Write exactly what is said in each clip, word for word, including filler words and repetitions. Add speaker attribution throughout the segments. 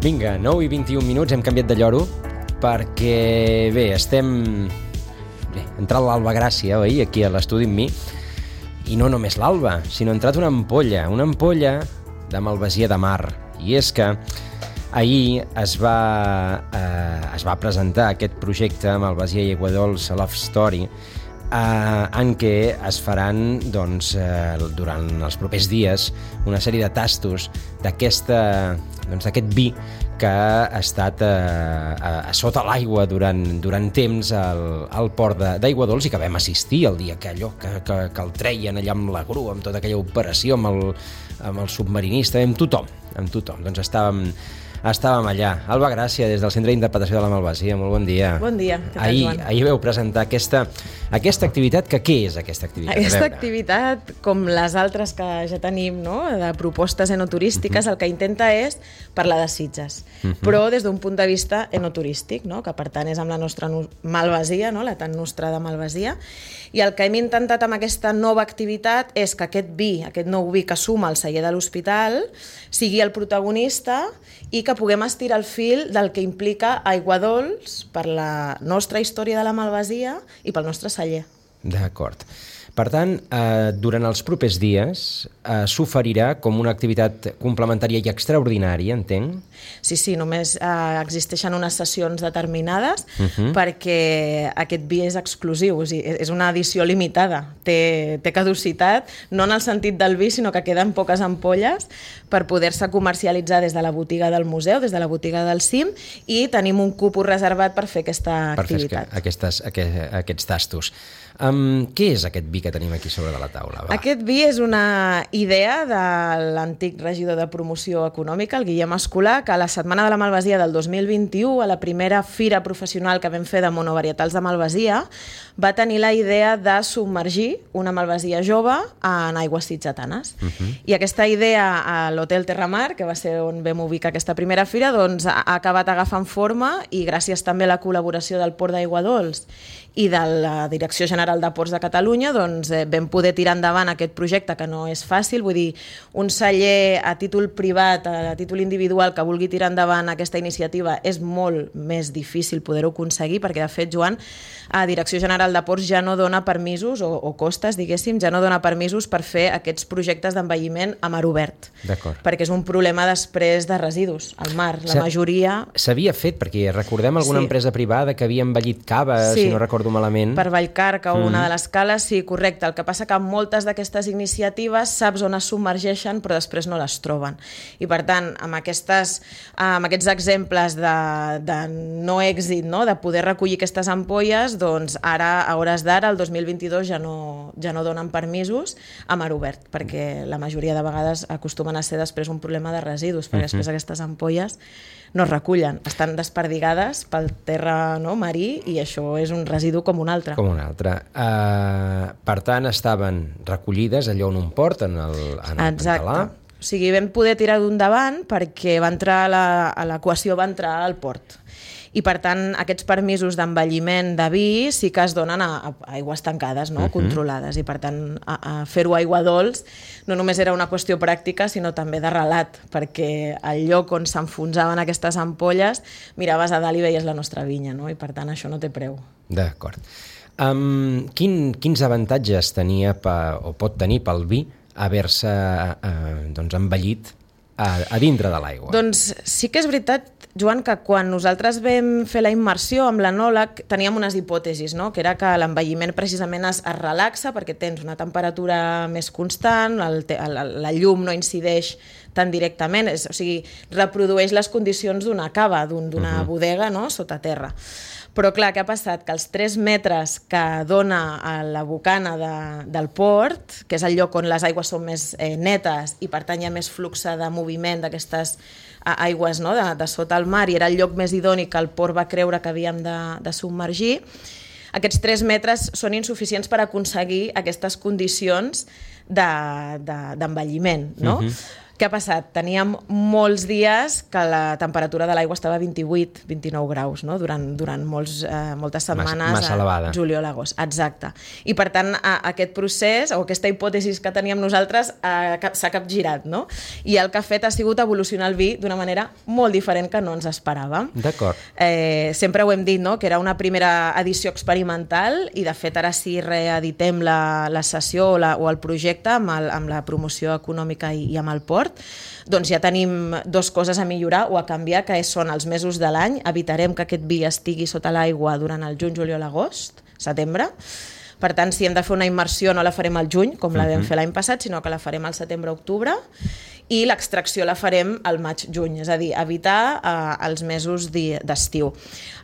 Speaker 1: Vinga, nou i vint-i-un minuts, hem canviat de lloro perquè, bé, estem... Bé, ha entrat l'Alba Gràcia, oi, aquí a l'estudi amb mi, i no només l'Alba, sinó ha entrat una ampolla, una ampolla de Malvasia de Mar. I és que ahir es va, eh, es va presentar aquest projecte Malvasia i Aiguadols Love Story, eh, en què es faran doncs, eh, durant els propers dies una sèrie de tastos d'aquesta, doncs, d'aquest vi que ha estat eh, a, a sota l'aigua durant, durant temps al, al port d'Aiguadols i que vam assistir el dia que allò que, que, que el treien allà amb la grua, amb tota aquella operació amb el, amb el submarinista, amb tothom, amb tothom. Doncs estàvem, estàvem allà. Alba Gràcia, des del Centre d'Interpretació de la Malvasia, molt bon dia.
Speaker 2: Bon dia, què tal,
Speaker 1: ahir,
Speaker 2: Joan?
Speaker 1: Ahir veu presentar aquesta, aquesta activitat, que què és aquesta activitat?
Speaker 2: Aquesta activitat, com les altres que ja tenim, no?, de propostes enoturístiques, uh-huh. el que intenta és parlar de Sitges, uh-huh. però des d'un punt de vista enoturístic, no?, que per tant és amb la nostra Malvasia, no?, la tan nostra de Malvasia, i el que hem intentat amb aquesta nova activitat és que aquest vi, aquest nou vi que suma al celler de l'Hospital, sigui el protagonista i que puguem estirar el fil del que implica Aiguadols per la nostra història de la Malvasia i pel nostre celler.
Speaker 1: D'acord. Per tant, eh, durant els propers dies eh, s'oferirà com una activitat complementària i extraordinària, entenc?
Speaker 2: Sí, sí, només eh, existeixen unes sessions determinades uh-huh. perquè aquest vi és exclusiu, o sigui, és una edició limitada, té, té caducitat, no en el sentit del vi, sinó que queden poques ampolles per poder-se comercialitzar des de la botiga del museu, des de la botiga del C I M, i tenim un cupo reservat per fer aquesta
Speaker 1: per
Speaker 2: activitat.
Speaker 1: Per fer aquestes, aquest, aquests tastos. Um, què és aquest vi que tenim aquí sobre de la taula? Va.
Speaker 2: Aquest vi és una idea de l'antic regidor de promoció econòmica, el Guillem Escolà, que a la Setmana de la Malvasia del dos mil vint-i-u, a la primera fira professional que vam fer de monovarietals de Malvasia, va tenir la idea de submergir una Malvasia jove en aigües sitgetanes. Uh-huh. I aquesta idea a l'Hotel Terramar, que va ser on vam ubicar aquesta primera fira, doncs ha acabat agafant forma i gràcies també a la col·laboració del Port d'Aiguadols i de la Direcció General de Ports de Catalunya, doncs eh, vam poder tirar endavant aquest projecte, que no és fàcil, vull dir, un celler a títol privat, a títol individual, que vulgui tirar endavant aquesta iniciativa és molt més difícil poder-ho aconseguir, perquè de fet, Joan, a Direcció General de Ports ja no dona permisos, o, o costes, diguéssim, ja no dona permisos per fer aquests projectes d'envelliment a mar obert.
Speaker 1: D'acord.
Speaker 2: Perquè és un problema després de residus al mar, la majoria...
Speaker 1: S'havia fet, perquè recordem alguna
Speaker 2: sí.
Speaker 1: empresa privada que havia envellit cava, sí. si no recordo malament.
Speaker 2: Per Vallcarca o mm. una de les cales, sí, correcte. El que passa que moltes d'aquestes iniciatives saps on es submergeixen però després no les troben. I per tant, amb, aquestes, amb aquests exemples de, de no èxit, no? De poder recollir aquestes ampolles, doncs ara, a hores d'ara, el dos mil vint-i-dos, ja no, ja no donen permisos a mar obert, perquè la majoria de vegades acostumen a ser després un problema de residus, perquè mm-hmm. després aquestes ampolles no es recullen, estan desperdigades pel terra, no, marí, i això és un residu com un altre.
Speaker 1: Com un altre. Uh, per tant, estaven recollides allò en un port, en el, en el
Speaker 2: Exacte.
Speaker 1: Pantalà.
Speaker 2: O sigui, vam poder tirar d'un davant perquè va entrar a la, a l'equació va entrar al port. I per tant, aquests permisos d'envelliment de vi sí que es donen a, a aigües tancades, no? Uh-huh. Controlades, i per tant a, a fer-ho a Aiguadols no només era una qüestió pràctica, sinó també de relat, perquè al lloc on s'enfonsaven aquestes ampolles miraves a dalt i veies la nostra vinya, no? I per tant això no té preu.
Speaker 1: D'acord. Um, quin, quins avantatges tenia pa, o pot tenir pel vi haver-se uh, doncs, envellit a, a dintre de l'aigua?
Speaker 2: Doncs sí que és veritat, Joan, que quan nosaltres vam fer la immersió amb l'enòleg teníem unes hipòtesis, no? Que era que l'envelliment precisament es, es relaxa perquè tens una temperatura més constant, el, el, la llum no incideix tan directament, és, o sigui, reprodueix les condicions d'una cava, d'un, d'una uh-huh. bodega, no? Sota terra. Però clar, què ha passat? Que els tres metres que dona a la bocana de, del port, que és el lloc on les aigües són més eh, netes i per tant hi ha més flux de moviment d'aquestes aigües, no? de, de sota el mar, i era el lloc més idoni que el port va creure que havíem de, de submergir, aquests tres metres són insuficients per aconseguir aquestes condicions de, de, d'envelliment, no? Uh-huh. Què ha passat? Teníem molts dies que la temperatura de l'aigua estava a vint-i-vuit vint-i-nou graus, no? durant, durant molts, eh, moltes setmanes.
Speaker 1: Massa, massa elevada.
Speaker 2: Juliol, agost, exacte. I per tant, a, aquest procés, o aquesta hipòtesi que teníem nosaltres, eh, s'ha capgirat, no? I el que ha fet ha sigut evolucionar el vi d'una manera molt diferent que no ens esperàvem.
Speaker 1: D'acord.
Speaker 2: Eh, sempre ho hem dit, no?, que era una primera edició experimental i, de fet, ara sí reeditem la, la sessió o, la, o el projecte amb, el, amb la promoció econòmica i, i amb el port. Doncs ja tenim dues coses a millorar o a canviar, que són els mesos de l'any. Evitarem que aquest vi estigui sota l'aigua durant el juny, juliol, agost, setembre. Per tant, si hem de fer una immersió no la farem al juny, com la vam fer l'any passat, sinó que la farem al setembre-octubre, i l'extracció la farem al maig-juny, és a dir, evitar eh, els mesos d'estiu.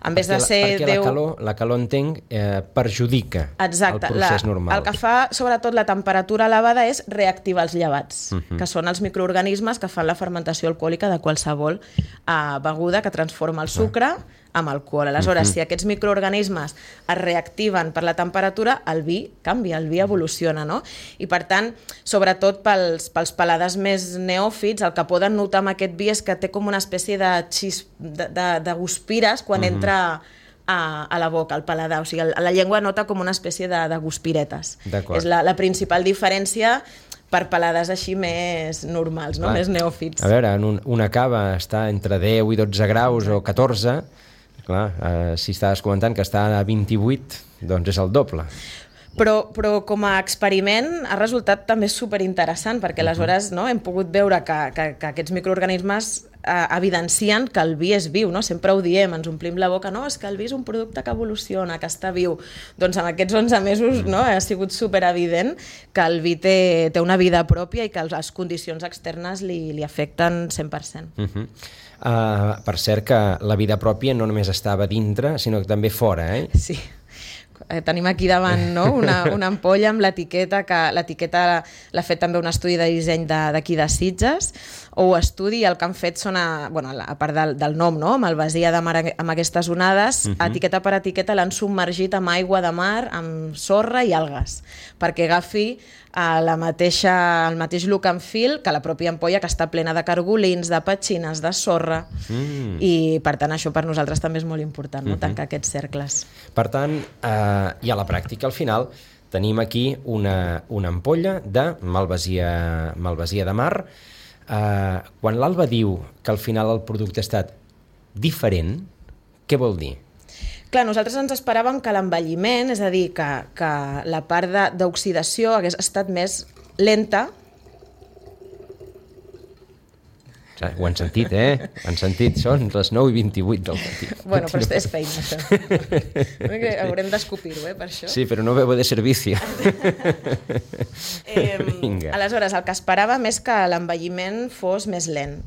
Speaker 2: En vez de ser
Speaker 1: perquè
Speaker 2: deu...
Speaker 1: la calor, la calor entenc, eh, perjudica
Speaker 2: Exacte,
Speaker 1: el procés
Speaker 2: la,
Speaker 1: normal.
Speaker 2: El que fa, sobretot, la temperatura elevada és reactivar els llevats, uh -huh. que són els microorganismes que fan la fermentació alcohòlica de qualsevol eh, beguda que transforma el sucre uh -huh. amb alcohol. Aleshores, uh -huh. si aquests microorganismes es reactiven per la temperatura, el vi canvia, el vi evoluciona, no? I, per tant, sobretot pels, pels paladars més neòfits, el que poden notar amb aquest vi és que té com una espècie de, xis, de, de, de guspires quan uh -huh. entra a, a la boca, al paladar. O sigui, el, la llengua nota com una espècie de, de guspiretes. És la, la principal diferència per paladars així més normals, no? Més neòfits.
Speaker 1: A veure, en un, una cava està entre deu i dotze graus o catorze. Clar, eh, si estaves comentant que està a vint-i-vuit, doncs és el doble.
Speaker 2: Però, però com a experiment ha resultat també superinteressant, perquè aleshores no, hem pogut veure que, que, que aquests microorganismes eh, evidencien que el vi és viu, no? Sempre ho diem, ens omplim la boca, no, és que el vi és un producte que evoluciona, que està viu. Doncs en aquests onze mesos no, ha sigut superevident que el vi té, té una vida pròpia i que les condicions externes li, li afecten cent per cent.
Speaker 1: Uh -huh. Uh, per cert que la vida pròpia no només estava dintre, sinó que també fora, eh?
Speaker 2: Sí. Eh, tenim aquí davant no? una, una ampolla amb l'etiqueta, que l'etiqueta l'ha fet també un estudi de disseny d'aquí de, de Sitges, o estudi, el que han fet són, a, bueno, a part del, del nom, no? Malvasia de mar amb aquestes onades, uh-huh. etiqueta per etiqueta l'han submergit amb aigua de mar, amb sorra i algues, perquè agafi a la mateixa, el mateix look and feel que la pròpia ampolla, que està plena de cargolins, de petxines, de sorra, mm. i per tant això per nosaltres també és molt important, no? Mm-hmm. Tancar aquests cercles.
Speaker 1: Per tant, eh, i a la pràctica al final tenim aquí una, una ampolla de malvasia, malvasia de mar. Eh, quan l'Alba diu que al final el producte ha estat diferent, què vol dir?
Speaker 2: Clar, nosaltres ens esperàvem que l'envelliment, és a dir, que, que la part d'oxidació hagués estat més lenta.
Speaker 1: Ho han sentit, eh? Ho han sentit, són les nou i vint-i-vuit del matí.
Speaker 2: Bueno, però és feina, això. Haurem d'escopir-ho, eh, per això.
Speaker 1: Sí, però no veu de servici.
Speaker 2: eh, aleshores, el que esperàvem és que l'envelliment fos més lent.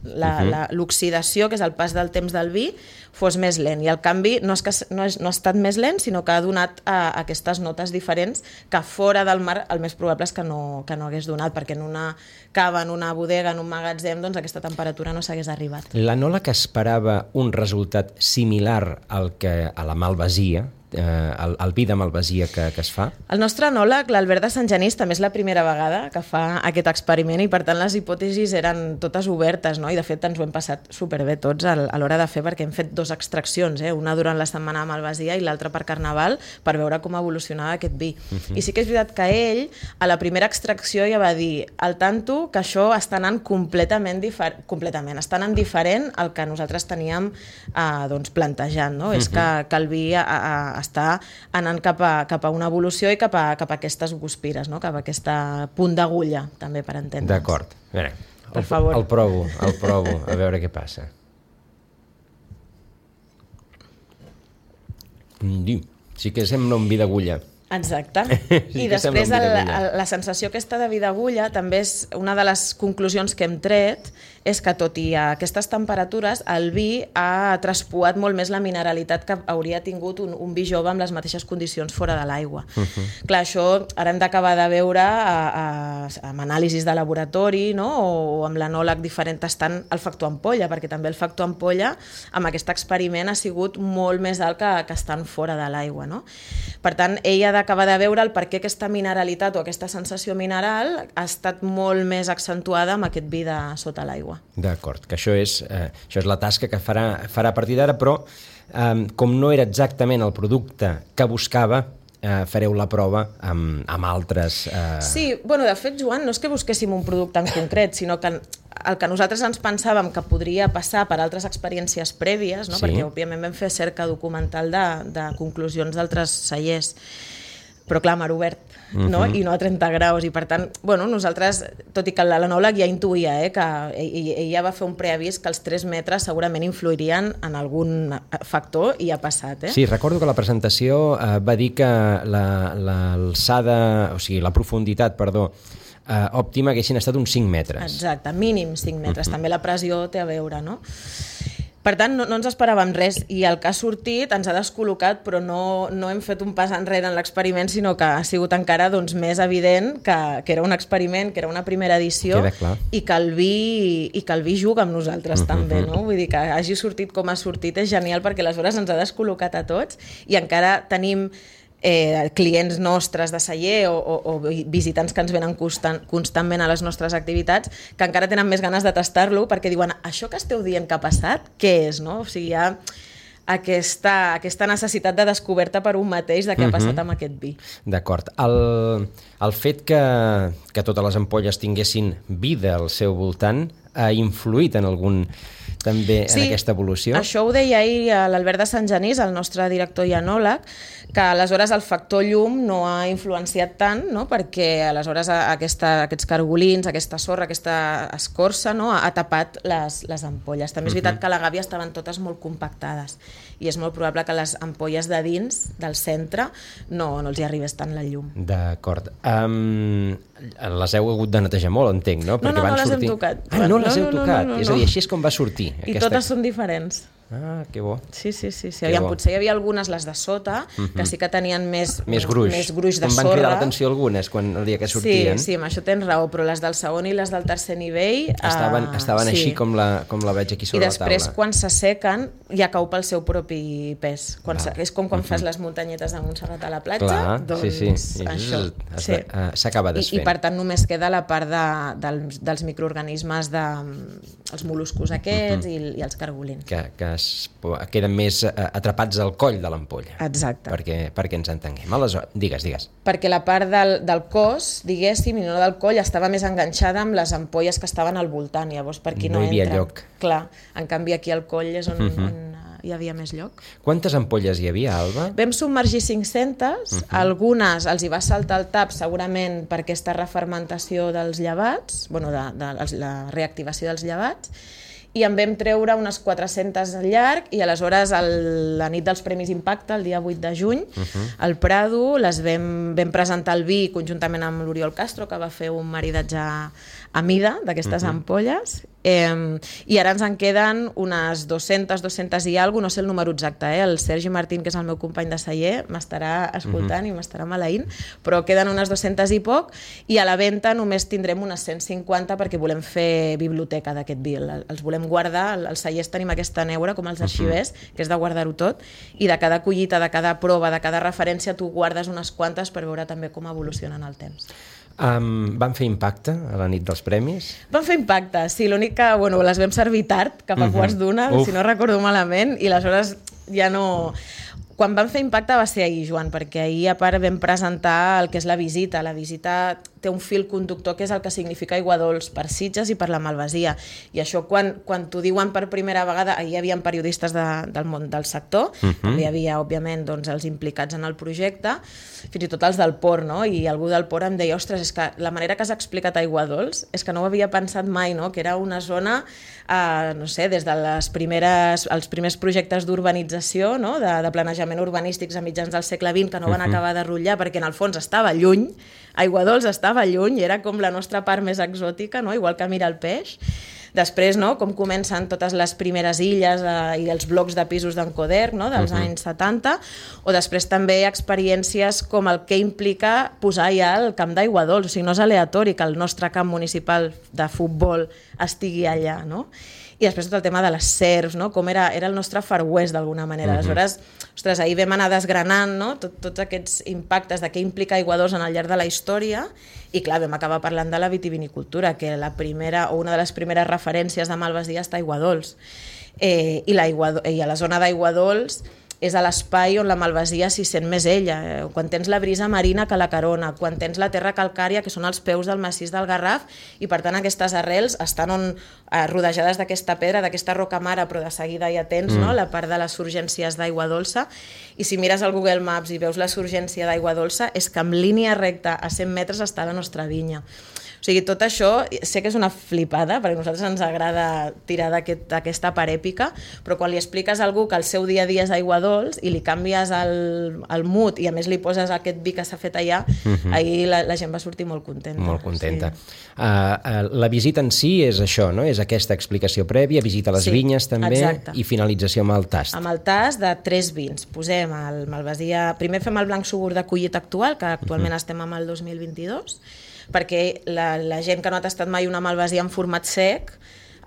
Speaker 2: L'oxidació, que és el pas del temps del vi, fos més lent. I el canvi no, és que, no, és, no ha estat més lent, sinó que ha donat a, a aquestes notes diferents que fora del mar el més probable és que no, que no hagués donat, perquè en una cava, en una bodega, en un magatzem, doncs aquesta temperatura no s'hagués arribat.
Speaker 1: L'Anola, que esperava un resultat similar al que a la malvasia, eh, el, el vi de malvasia que, que es fa?
Speaker 2: El nostre enòleg, l'Albert de Sant Genís, també és la primera vegada que fa aquest experiment i per tant les hipòtesis eren totes obertes, no? I de fet ens ho hem passat superbé tots a l'hora de fer, perquè hem fet dues extraccions, eh? Una durant la setmana de malvasia i l'altra per Carnaval, per veure com evolucionava aquest vi. Uh-huh. I sí que és veritat que ell a la primera extracció ja va dir al tanto que això està anant completament diferent, completament, està anant diferent al que nosaltres teníem eh, doncs plantejant, no? Uh-huh. És que, que el vi a, a, està anant cap a, cap a una evolució i cap a, cap a aquestes guspires, no? Cap a aquest punt d'agulla, també, per entendre'ns.
Speaker 1: D'acord. A veure,
Speaker 2: per
Speaker 1: el,
Speaker 2: favor.
Speaker 1: El provo, el provo, a veure què passa. Sí que sembla un vi d'agulla.
Speaker 2: Exacte.
Speaker 1: Sí,
Speaker 2: I després el, el, la sensació aquesta de vi d'agulla també és una de les conclusions que hem tret, és que tot i a aquestes temperatures el vi ha traspuat molt més la mineralitat que hauria tingut un, un vi jove amb les mateixes condicions fora de l'aigua. Uh-huh. Clar, això ara hem d'acabar de veure a, a, amb anàlisis de laboratori, no? o amb l'anòleg diferent tastant el factor ampolla, perquè també el factor ampolla amb aquest experiment ha sigut molt més alt que, que estan fora de l'aigua. No? Per tant, ell ha d'acabar de veure el per què aquesta mineralitat o aquesta sensació mineral ha estat molt més accentuada amb aquest vi de sota l'aigua.
Speaker 1: D'acord, que això és, eh, això és la tasca que farà, farà a partir d'ara, però eh, com no era exactament el producte que buscava, eh, fareu la prova amb, amb altres... Eh...
Speaker 2: Sí, bueno, de fet, Joan, no és que busquéssim un producte en concret, sinó que el que nosaltres ens pensàvem que podria passar per altres experiències prèvies, no? Sí. Perquè òbviament vam fer cerca documental de, de conclusions d'altres cellers, però clar, mar obert, no? Uh-huh. I no a trenta graus, i per tant, bueno, nosaltres, tot i que l'anòleg ja intuïa, eh, que ell, ell ja va fer un preavís que els tres metres segurament influirien en algun factor, i ha passat. Eh?
Speaker 1: Sí, recordo que la presentació eh, va dir que l'alçada, la, o sigui, la profunditat, perdó, eh, òptima haguessin estat uns cinc metres.
Speaker 2: Exacte, mínim cinc metres. Uh-huh. També la pressió té a veure, no? Per tant, no, no ens esperàvem res, i el que ha sortit ens ha descol·locat, però no, no hem fet un pas enrere en l'experiment, sinó que ha sigut encara doncs, més evident que, que era un experiment, que era una primera edició, i que, el vi, i que el vi juga amb nosaltres uh-huh. també. No? Vull dir que hagi sortit com ha sortit és genial, perquè aleshores ens ha descol·locat a tots, i encara tenim Eh, clients nostres de celler o, o, o visitants que ens venen constant, constantment a les nostres activitats, que encara tenen més ganes de tastar-lo, perquè diuen, això que esteu dient que ha passat, què és? No? O sigui, hi ha aquesta, aquesta necessitat de descoberta per un mateix de què uh-huh. ha passat amb aquest vi.
Speaker 1: D'acord. El, el fet que, que totes les ampolles tinguessin vida al seu voltant ha influït en algun... també
Speaker 2: sí,
Speaker 1: en aquesta evolució?
Speaker 2: Això ho deia ahir l'Albert de Sant Genís, el nostre director i anòleg, que aleshores el factor llum no ha influenciat tant, no? Perquè aleshores aquesta, aquests cargolins, aquesta sorra, aquesta escorça, no? ha tapat les, les ampolles. També és veritat uh-huh. que a la gàbia estaven totes molt compactades, i és molt probable que les ampolles de dins, del centre, no, no els hi arribés tant la llum.
Speaker 1: D'acord. Um, les heu hagut de netejar molt, entenc, no?
Speaker 2: Perquè no, no,
Speaker 1: van
Speaker 2: no les
Speaker 1: sortir...
Speaker 2: hem tocat.
Speaker 1: Ah, no les
Speaker 2: no,
Speaker 1: heu
Speaker 2: no,
Speaker 1: tocat?
Speaker 2: No, no, no,
Speaker 1: és a dir, així és com va sortir.
Speaker 2: I
Speaker 1: aquesta...
Speaker 2: totes són diferents.
Speaker 1: Ah, que bo.
Speaker 2: Sí, sí, sí. sí. Aviam, potser hi havia algunes, les de sota, uh-huh. que sí que tenien més,
Speaker 1: més gruix,
Speaker 2: més gruix de
Speaker 1: sorra. Em van cridar l'atenció algunes quan el dia que sortien.
Speaker 2: Sí, sí, amb això tens raó, però les del segon i les del tercer nivell...
Speaker 1: Estaven,
Speaker 2: uh,
Speaker 1: estaven
Speaker 2: sí.
Speaker 1: així com la, com la veig aquí sobre la taula.
Speaker 2: I després, quan s'assequen, ja cau pel seu propi pes. Quan és com quan uh-huh. fas les muntanyetes de Montserrat a la platja,
Speaker 1: clar,
Speaker 2: doncs
Speaker 1: sí, sí.
Speaker 2: això.
Speaker 1: S'acaba
Speaker 2: sí.
Speaker 1: desfent.
Speaker 2: I, I per tant només queda la part de, dels, dels microorganismes, de, els moluscos aquests uh-huh. i, i els cargolins.
Speaker 1: Que, que es, queden més eh, atrapats al coll de l'ampolla.
Speaker 2: Exacte.
Speaker 1: Perquè, perquè ens entenguem. Aleshores, digues, digues.
Speaker 2: Perquè la part del, del cos, diguéssim, i no del coll, estava més enganxada amb les ampolles que estaven al voltant. Llavors, per aquí no,
Speaker 1: no hi havia
Speaker 2: entra.
Speaker 1: lloc.
Speaker 2: Clar, en canvi aquí al coll és on,
Speaker 1: uh-huh.
Speaker 2: on hi havia més lloc.
Speaker 1: Quantes ampolles hi havia, Alba?
Speaker 2: Vam submergir cinc-centes, uh-huh. algunes els hi va saltar el tap segurament per aquesta refermentació dels llevats, bueno, de, de la reactivació dels llevats, i en vam treure unes quatre-centes al llarg, i aleshores el, la nit dels Premis Impacte, el dia vuit de juny, uh-huh. al Prado, les vam, vam presentar el vi conjuntament amb l'Oriol Castro, que va fer un maridatge a mida d'aquestes uh-huh. ampolles, eh, i ara ens en queden unes dues-centes, dues-centes i alguna cosa, no sé el número exacte, eh? El Sergi Martín, que és el meu company de celler, m'estarà escoltant uh-huh. i m'estarà maleint, però queden unes dues-centes i poc, i a la venda només tindrem unes cent cinquanta perquè volem fer biblioteca d'aquest vi, els volem guardar, als cellers tenim aquesta neura com els arxivers, uh-huh. que és de guardar-ho tot, i de cada collita, de cada prova, de cada referència, tu guardes unes quantes per veure també com evolucionen el temps.
Speaker 1: Um, van fer impacte a la nit dels premis?
Speaker 2: Van fer impacte, sí, l'únic que bueno, les vam servir tard, cap a uh-huh. quarts d'una, si no recordo malament, i aleshores ja no... Quan van fer impacte va ser ahir, Joan, perquè ahir a part vam presentar el que és la visita. La visita té un fil conductor que és el que significa aigua dolç per Sitges i per la Malvasia. I això quan, quan t'ho diuen per primera vegada, ahir hi havia periodistes de, del món del sector, uh-huh. també hi havia, òbviament, doncs, els implicats en el projecte, fins i tot els del port, no? I algú del port em deia, ostres, és que la manera que has explicat aigua dolç és que no ho havia pensat mai, no? Que era una zona, eh, no sé, des de les primeres, els primers projectes d'urbanització, no? de, de planejament urbanístics a mitjans del segle vint que no van acabar de rotllar perquè en el fons estava lluny, Aigua Dols estava lluny, era com la nostra part més exòtica, no? Igual que Mira el Peix. Després, no?, com comencen totes les primeres illes eh, i els blocs de pisos d'Encoderc, no?, dels uh-huh. anys setanta, o després també experiències com el que implica posar ja el camp d'Aigua Dols, o sigui, no és aleatori que el nostre camp municipal de futbol estigui allà, no? I després tot el tema de les serps, no? Com era, era el nostre Far West d'alguna manera. Uh-huh. Aleshores, ostres, ahir vam anar desgranant, no?, Tot, tots aquests impactes de què implica Aigua Dols en el llarg de la història i clar, vam acabar parlant de la vitivinicultura, que la primera o una de les primeres referències de Malvasia està a Aigua Dols. Eh, i, I a la zona d'Aigua Dols és a l'espai on la Malvasia s'hi sent més ella, eh, quan tens la brisa marina que la carona, quan tens la terra calcària, que són els peus del massís del Garraf, i per tant aquestes arrels estan on, eh, rodejades d'aquesta pedra, d'aquesta roca mare, però de seguida ja tens mm. no, la part de les surgències d'aigua dolça, i si mires el Google Maps i veus la surgència d'aigua dolça, és que en línia recta a cent metres està la nostra vinya. O sigui, tot això sé que és una flipada, perquè a nosaltres ens agrada tirar d'aquesta part èpica, però quan li expliques a algú que el seu dia a dia és Aigua Dols i li canvies el, el mood i a més li poses aquest vi que s'ha fet allà, uh-huh. ahir la, la gent va sortir molt contenta.
Speaker 1: Molt contenta.
Speaker 2: Sí.
Speaker 1: Uh, uh, la visita en si és això, no? És aquesta explicació prèvia, visita a les sí, vinyes també, exacte. I finalització amb el tast.
Speaker 2: Amb el tast de tres vins. Posem el Malvasia... Primer fem el blanc sugur de collit actual, que actualment uh-huh. estem amb el dos mil vint-i-dos, perquè la, la gent que no ha tastat mai una Malvasia en format sec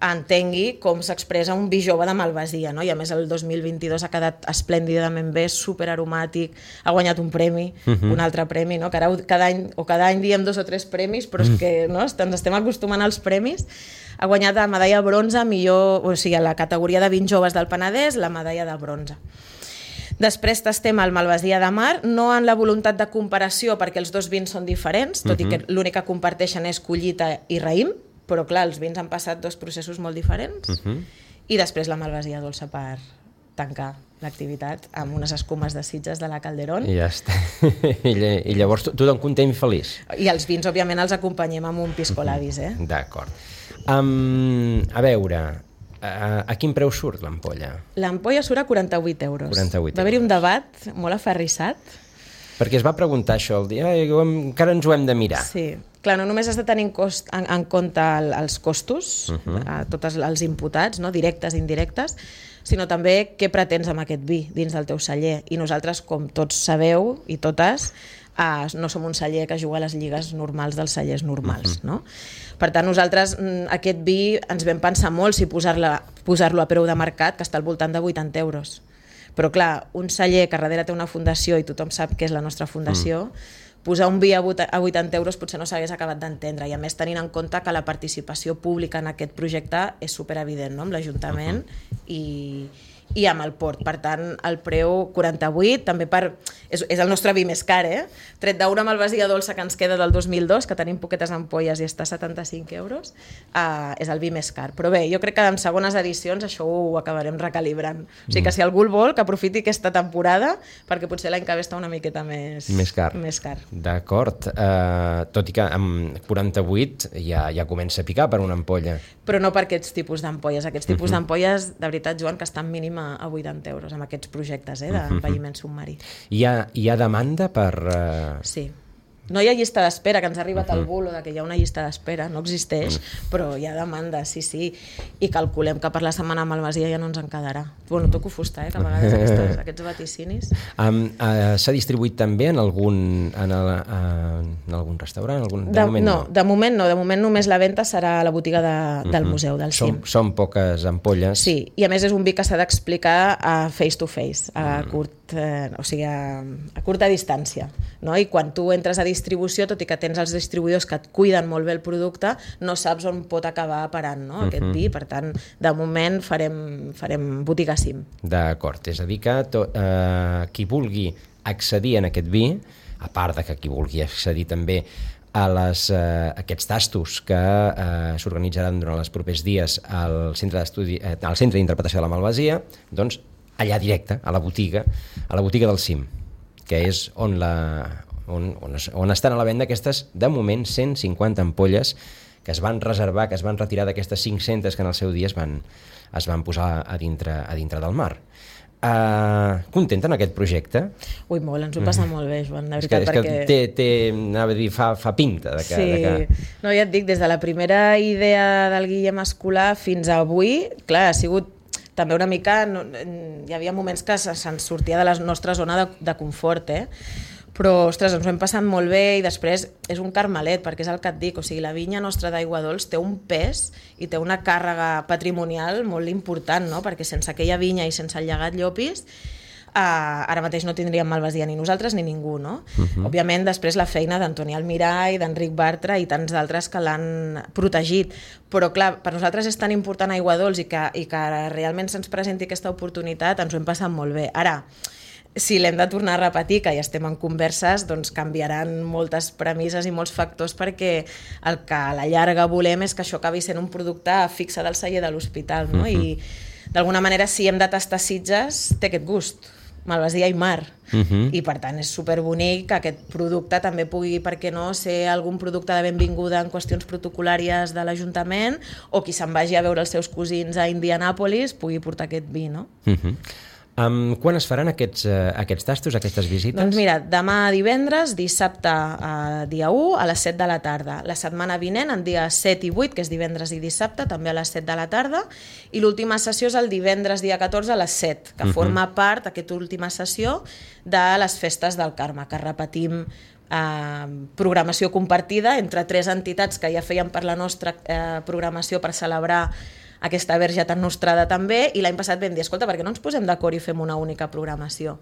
Speaker 2: entengui com s'expressa un vi jove de Malvasia, no? I a més el dos mil vint-i-dos ha quedat esplèndidament bé, superaromàtic, ha guanyat un premi, uh-huh. un altre premi, no? Que ara cada any, o cada any diem dos o tres premis, però és que no? ens estem acostumant als premis. Ha guanyat la medalla bronze, millor, o sigui, a la categoria de vins joves del Penedès, la medalla de bronze. Després tastem el Malvasia de Mar, no en la voluntat de comparació perquè els dos vins són diferents, tot uh-huh. i que l'únic que comparteixen és collita i raïm, però clar, els vins han passat dos processos molt diferents, uh-huh. i després la Malvasia dolça per tancar l'activitat amb unes escumes de Sitges de la Calderón.
Speaker 1: I ja està. I llavors tothom content i feliç.
Speaker 2: I els vins, òbviament, els acompanyem amb un piscolabis, eh?
Speaker 1: D'acord. Um, a veure... A, a quin preu surt l'ampolla?
Speaker 2: L'ampolla surt a quaranta-vuit euros.
Speaker 1: quaranta-vuit
Speaker 2: Va haver-hi un debat molt aferrissat.
Speaker 1: Perquè es va preguntar això el dia, eh, encara ens ho hem de mirar.
Speaker 2: Sí, clar, no només has de tenir en, cost, en, en compte el, els costos, uh-huh. a tots els imputats, no? Directes i indirectes, sinó també què pretens amb aquest vi dins del teu celler. I nosaltres, com tots sabeu, i totes, Uh, no som un celler que juga a les lligues normals dels cellers normals, uh-huh. no? Per tant, nosaltres aquest vi ens vam pensar molt si posar-lo posar-lo a preu de mercat, que està al voltant de vuitanta euros. Però clar, un celler que darrere té una fundació i tothom sap què és la nostra fundació, mm. posar un vi a vuitanta euros potser no s'hagués acabat d'entendre, i a més tenint en compte que la participació pública en aquest projecte és superevident, no? Amb l'Ajuntament uh-huh. i... i amb el port. Per tant, el preu quaranta-vuit, també per... És, és el nostre vi més car, eh? Tret d'una Malvasia dolça que ens queda del dos mil dos, que tenim poquetes ampolles i està a setanta-cinc euros, uh, és el vi més car. Però bé, jo crec que en segones edicions això ho acabarem recalibrant. O sigui que si algú el vol, que aprofiti aquesta temporada, perquè potser l'any que ve està una miqueta més,
Speaker 1: més car.
Speaker 2: Més car.
Speaker 1: D'acord. Uh, tot i que amb quaranta-vuit ja, ja comença a picar per una ampolla.
Speaker 2: Però no per aquests tipus d'ampolles. Aquests tipus uh-huh. d'ampolles, de veritat, Joan, que estan mínim a vuitanta euros amb aquests projectes eh, d'envelliment submarí.
Speaker 1: Hi ha, hi ha demanda per... Uh...
Speaker 2: Sí. No hi ha llista d'espera, que ens ha arribat uh-huh. el bulo de que hi ha una llista d'espera, no existeix, uh-huh. però hi ha demanda, sí, sí, i calculem que per la setmana Malvasia ja no ens en quedarà. Bueno, toco fusta, eh, que a vegades aquestes, aquests vaticinis.
Speaker 1: Um, uh, S'ha distribuït també en algun, en, el, uh, en algun restaurant? En algun... De,
Speaker 2: de
Speaker 1: moment
Speaker 2: no,
Speaker 1: no,
Speaker 2: de moment no, de moment només la venda serà a la botiga de, del uh-huh. museu, del
Speaker 1: Som,
Speaker 2: C I M.
Speaker 1: Són poques ampolles.
Speaker 2: Sí, i a més és un vi que s'ha d'explicar a face to face, a uh-huh. curt, eh, o sigui, a, a curta distància, no? I quan tu entres a distribució, tot i que tens els distribuïdors que et cuiden molt bé el producte, no saps on pot acabar parant, no? Aquest uh-huh. vi. Per tant, de moment farem, farem botiga C I M.
Speaker 1: D'acord, és a dir que to, eh, qui vulgui accedir en aquest vi, a part de que qui vulgui accedir també a les, eh, aquests tastos que eh, s'organitzaran durant els propers dies al centre d'estudi, eh, al centre d'interpretació de la Malvasia, doncs allà directe, a la botiga, a la botiga del C I M, que és on la... On, on, on estan a la venda aquestes, de moment, cent cinquanta ampolles que es van reservar, que es van retirar d'aquestes cinc-centes que en el seu dia es van, es van posar a dintre, a dintre del mar. Uh, contenta en aquest projecte?
Speaker 2: Ui, molt, ens ho passa molt bé, Joan, de
Speaker 1: És
Speaker 2: veritat,
Speaker 1: que,
Speaker 2: perquè...
Speaker 1: és que té, té, anava a dir, fa, fa pinta de que...
Speaker 2: Sí,
Speaker 1: de que...
Speaker 2: no, ja et dic, des de la primera idea del Guillem Escolar fins a avui, clar, ha sigut també una mica... No, hi havia moments que se'ns sortia de la nostra zona de, de confort, eh? Però, ostres, ens ho hem passat molt bé i després és un carmelet, perquè és el que et dic, o sigui, la vinya nostra d'Aigua Dols té un pes i té una càrrega patrimonial molt important, no? Perquè sense aquella vinya i sense el llegat Llopis, eh, ara mateix no tindríem Malvasia ni nosaltres ni ningú, no? Uh-huh. Òbviament, després la feina d'Antoni Almirall, d'Enric Bartra i tants d'altres que l'han protegit. Però, clar, per nosaltres és tan important Aigua Dols i que, i que realment se'ns presenti aquesta oportunitat, ens ho hem passat molt bé. Ara, si l'hem de tornar a repetir, que ja estem en converses, doncs canviaran moltes premisses i molts factors perquè el que a la llarga volem és que això acabi sent un producte fixe del celler de l'hospital, no? Uh-huh. I d'alguna manera, si hem de tastar Sitges, té aquest gust, Malvasia i mar. Uh-huh. I per tant és superbonic que aquest producte també pugui, per què no, ser algun producte de benvinguda en qüestions protocolàries de l'Ajuntament, o qui se'n vagi a veure els seus cosins a Indianàpolis pugui portar aquest vi, no?
Speaker 1: Uh-huh. Um, quan es faran aquests, uh, aquests tastos, aquestes visites?
Speaker 2: Doncs mira, demà divendres, dissabte uh, dia u a les set de la tarda. La setmana vinent, en dia set i vuit, que és divendres i dissabte, també a les set de la tarda, i l'última sessió és el divendres dia catorze a les set, que uh-huh. forma part, aquesta última sessió, de les festes del Carme, que repetim eh, programació compartida entre tres entitats que ja feien per la nostra eh, programació per celebrar aquesta verge tan nostrada també, i l'any passat vam dir, escolta, per què no ens posem d'acord i fem una única programació?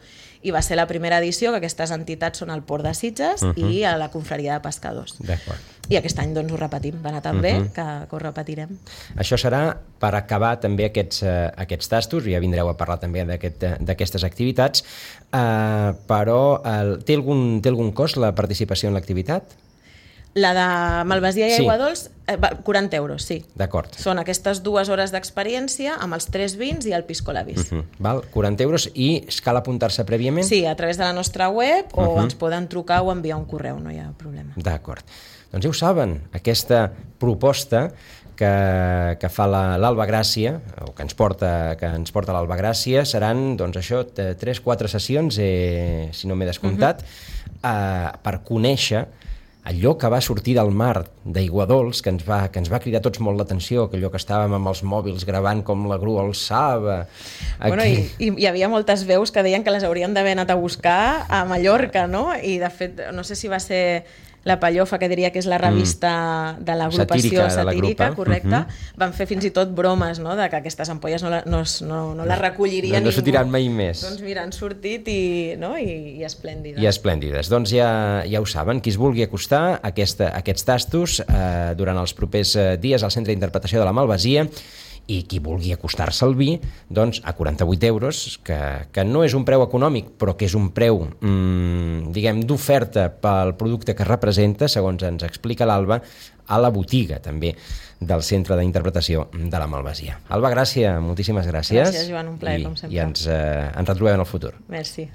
Speaker 2: I va ser la primera edició, que aquestes entitats són el Port de Sitges uh-huh. i a la Confraria de Pescadors.
Speaker 1: D'acord.
Speaker 2: I aquest any doncs ho repetim, va anar tan bé uh-huh. que, que ho repetirem.
Speaker 1: Això serà per acabar també aquests, uh, aquests tastos, ja vindreu a parlar també d'aquestes aquest, activitats, uh, però uh, té, algun, té algun cost la participació en l'activitat?
Speaker 2: La de Malvasia i Aigua
Speaker 1: sí.
Speaker 2: Dols, quaranta euros, sí.
Speaker 1: D'acord.
Speaker 2: Són aquestes dues hores d'experiència amb els tres vins i el pisco labis.
Speaker 1: Uh-huh. Val, quaranta euros, i cal apuntar-se prèviament?
Speaker 2: Sí, a través de la nostra web, o
Speaker 1: uh-huh.
Speaker 2: ens poden trucar o enviar un correu, no hi ha problema.
Speaker 1: D'acord. Doncs ja ho saben, aquesta proposta que, que fa l'Alba Gràcia, o que ens porta, que ens porta l'Alba Gràcia, seran, doncs això, tres, quatre sessions, eh, si no m'he descomptat, uh-huh. eh, per conèixer allò que va sortir del mar d'Aigua Dols, que ens va, que ens va cridar tots molt l'atenció, que allò que estàvem amb els mòbils gravant com la grua alçava. Aquí...
Speaker 2: Bueno, i, i hi havia moltes veus que deien que les haurien d'haver anat a buscar a Mallorca, no? I de fet, no sé si va ser La Pallofa, que diria que és la revista mm. de l'agrupació satírica, satírica la correcte, uh-huh. van fer fins i tot bromes, no?, de que aquestes ampolles no, la, no, no, no les recolliria
Speaker 1: no, no
Speaker 2: ningú. No
Speaker 1: sortiran mai més.
Speaker 2: Doncs mira, han sortit i, no? I, i esplèndides.
Speaker 1: I esplèndides. Doncs ja, ja ho saben, qui es vulgui acostar a aquesta, aquests tastos eh, durant els propers dies al Centre d'Interpretació de la Malvasia, i qui vulgui acostar-se al vi, doncs a quaranta-vuit euros, que, que no és un preu econòmic, però que és un preu, mmm, diguem, d'oferta pel producte que representa, segons ens explica l'Alba, a la botiga també del Centre d'Interpretació de la Malvasia. Alba Gràcia, moltíssimes gràcies.
Speaker 2: Gràcies, Joan, un plaer,
Speaker 1: I,
Speaker 2: com sempre.
Speaker 1: I ens, eh, ens retrobem en el futur.
Speaker 2: Merci.